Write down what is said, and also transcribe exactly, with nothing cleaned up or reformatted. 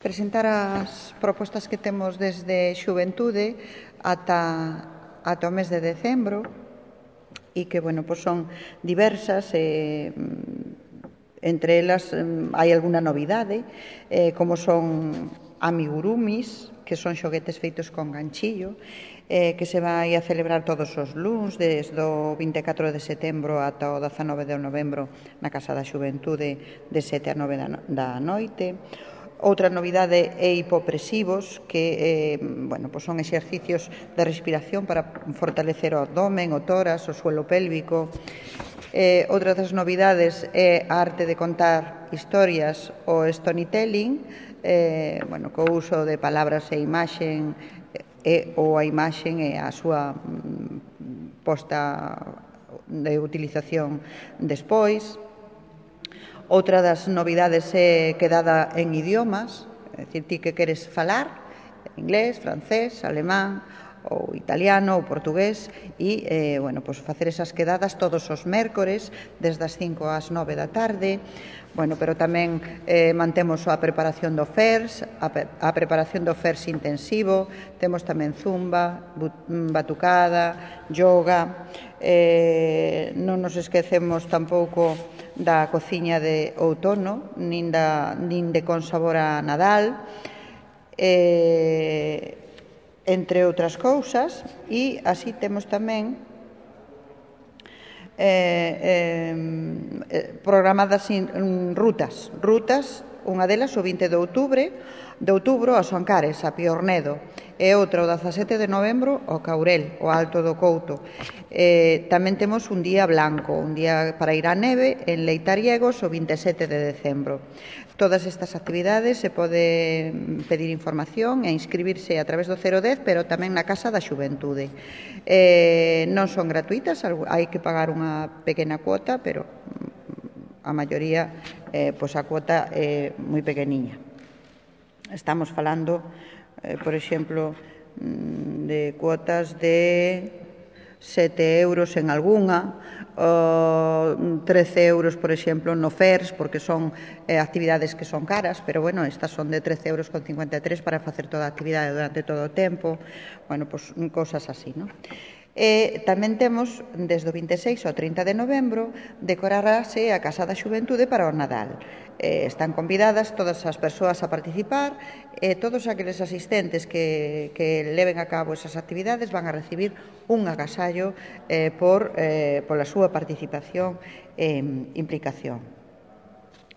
presentar as propostas que temos desde Xuventude ata, ata o mes de decembro e que, bueno, pois son diversas e entre elas hai algunha novidade, eh, como son amigurumis, que son xoguetes feitos con ganchillo, eh, que se vai a celebrar todos os luns, desde o vinte e catro de setembro ata o dezanove de novembro na Casa da Xuventude, de sete a nove da noite. Outra novidade é hipopresivos, que eh, bueno, pois son exercicios de respiración para fortalecer o abdomen, o tórax, o suelo pélvico. Eh, outra das novidades é a arte de contar historias, o storytelling, eh, bueno, co uso de palabras e imaxen, e, ou a imaxen e a súa mm, posta de utilización despois. Outra das novidades é quedada en idiomas, é dicir, ti que queres falar, inglés, francés, alemán, ou italiano ou portugués e, eh, bueno, pois facer esas quedadas todos os mércores desde as cinco ás nove da tarde. Bueno, pero tamén eh, mantemos a preparación do F E R S, a, a preparación do F E R S intensivo, temos tamén zumba, batucada, yoga, eh, non nos esquecemos tampouco da cociña de outono, nin, da, nin de con sabor a Nadal, eh, entre outras cousas, e así temos tamén eh, eh, programadas in, rutas, rutas, unha delas o vinte de outubro, de outubro a Soncares, a Piornedo, e outra o dezasete de novembro ao Caurel, o Alto do Couto. Eh, tamén temos un día blanco, un día para ir á neve en Leitariegos o vinte e sete de decembro. Todas estas actividades se pode pedir información e inscribirse a través do cero dez, pero tamén na Casa da Xuventude. Eh, non son gratuitas, hai que pagar unha pequena cuota, pero a maioría, eh, pois a cuota é moi pequeniña. Estamos falando, eh, por exemplo, de cuotas de sete euros en algunha, o trece euros, por exemplo, no F E R S, porque son eh, actividades que son caras, pero, bueno, estas son de trece euros con cincuenta e tres para facer toda a actividade durante todo o tempo, bueno, pois cosas así, non? E tamén temos, desde o vinte e seis ao trinta de novembro, decorarase a Casa da Xuventude para o Nadal. Eh, están convidadas todas as persoas a participar e todos aqueles asistentes que, que leven a cabo esas actividades van a recibir un agasallo eh, por, eh, pola súa participación e eh, implicación.